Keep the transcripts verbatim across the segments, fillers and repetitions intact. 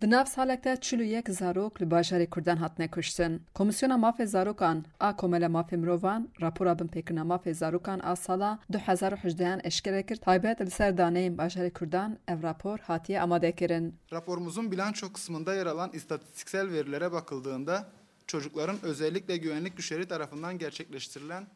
Di nav salek de çil û yek zarok li bajarê Kurdan hatine kuştin. Komîsyona Mafê Zarokan a Komela Mafê Mirovan rapora binpêkirina mafê zarokan a sala du hezar û hejdehan eşkere kir, taybet li ser daneyên bajarê Kurdan ev rapor hatiye amadekirin. Raporumuzun bilanço kısmında yer alan istatistiksel verilere bakıldığında çocukların özellikle güvenlik güçleri tarafından gerçekleştirilen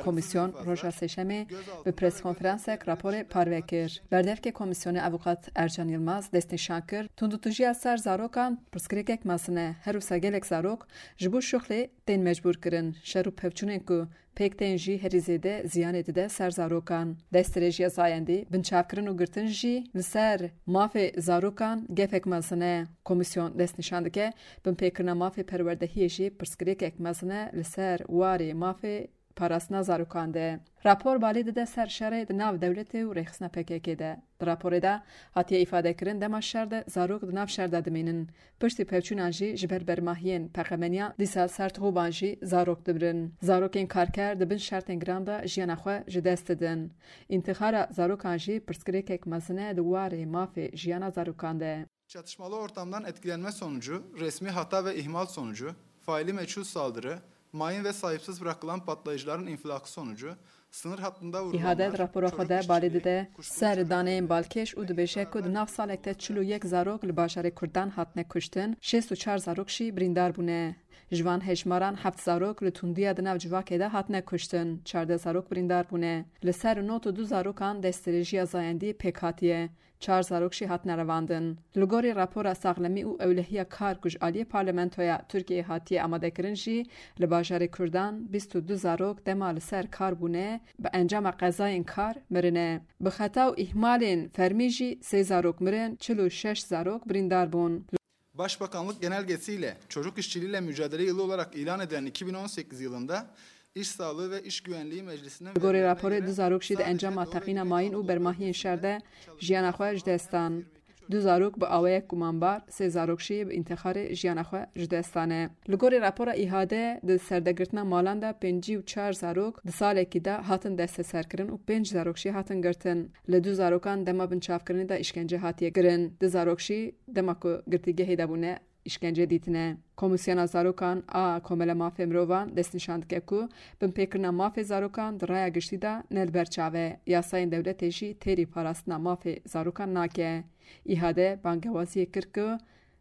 Komîsyon roja Sêşemê bi preskonferansek raporê parve kir. Berdevkê Komîsyonê Avûkat Ercan Yilmaz destnîşan kir, tundûtûjiya ser zarokan pirsgirêkek mezin e. Her wisa gelek zarok ji bo şixulê tên mecbûr kirin. Şer û pevçûnên ku pêk tên jî herî zêde ziyanê dide ser zarokan. Destdirêjiya zayendî, binçavkirin û girtin jî li ser mafê zarokan gefek mezin e. Komîsyon destnîşan dike, binpêkirina mafê perwerdehiyê jî pirsgirêkek mezin e li ser warê mafê parastina zarokan de. Rapor balê dide ser şerê di nav dewletê û rêxistina P K K de. Di raporê de hatiye îfadekirin, dema şer de zarok di nav şer de dimînin. Piştî pevçûnan jî ji ber bermahiyên peqemeniyan dîsa ser tixûban jî zarok dimirin. Zarokên karker di bin şertên giran de jiyana xwe ji dest didin. Întixara zarokan jî pirsgirêkek mezin e di warê mafê jiyana zarokan de. Çatışmalı ortamdan etkilenme sonucu, resmi hata ve ihmal sonucu, faili meçhul saldırı, mayın ve sahipsiz bırakılan patlayıcıların infilakı sonucu, sınır hattında vurulanlar, Îhade di rapora xwe de balê dide ser daneyên balkêş û dibêje ku di nav salek de çil û yek zarok li bajarê Kurdan hatine kuştin, şêst û çar zarok jî birîndar bûne. Ji van hejmaran heft zarok li tundiya di nav civakê de hatine kuştin, çardeh zarok birîndar bûne. Li ser nod û du zarokan destdirêjiya zayendî pêk hatiye. Çar zarok jî hatine revandin. Li gorî rapora saxlemî û ewlehiya kar ku ji aliyê Parlamentoya Tirkiyeyê hatiye amadekirin jî, li bajarê Kurdan bîst û du zarok dema li ser kar bûne, bi encama qezayên kar mirine. Bi xeta û îhmalên fermî jî sê zarok mirin, çil û şeş zarok birîndar bûn. Başbakanlık genelgesiyle çocuk işçiliğiyle mücadele yılı olarak ilan edilen iki bin on sekiz yılında İş Sağlığı ve İş Güvenliği Meclisi'nin Li gorî raporê, du zarok jî di encama teqîna mayîn û bermahiyên şer de jiyana xwe ji dest dan. Du zarok bi awayek gumanbar, sê zarok jî bi întixarê jiyana xwe ji dest dane. Li gorî rapora Îhade, di serdegirtina malan de pêncî û çar zarok di salekî de hatin desteserkirin û pênc zarok jî hatin girtin. Li du zarokan dema binçavkirinê de îşkence hatiye kirin. Du zarok jî dema ku girtîgehê de bûne, îşkence dîtine. Komîsyona Zarokan a Komela Mafê Mirovan destnîşan dike ku binpêkirina mafê zarokan di raya giştî de ne li ber çav e. Yasayên dewletê jî têrî parastina mafê zarokan nake. Îhade bangewaziyê kir ku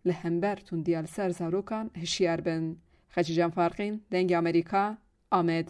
li hember tundiya li ser zarokan hişyar bin. Xecîcan Farqîn, Dengê Amerîka, Amed.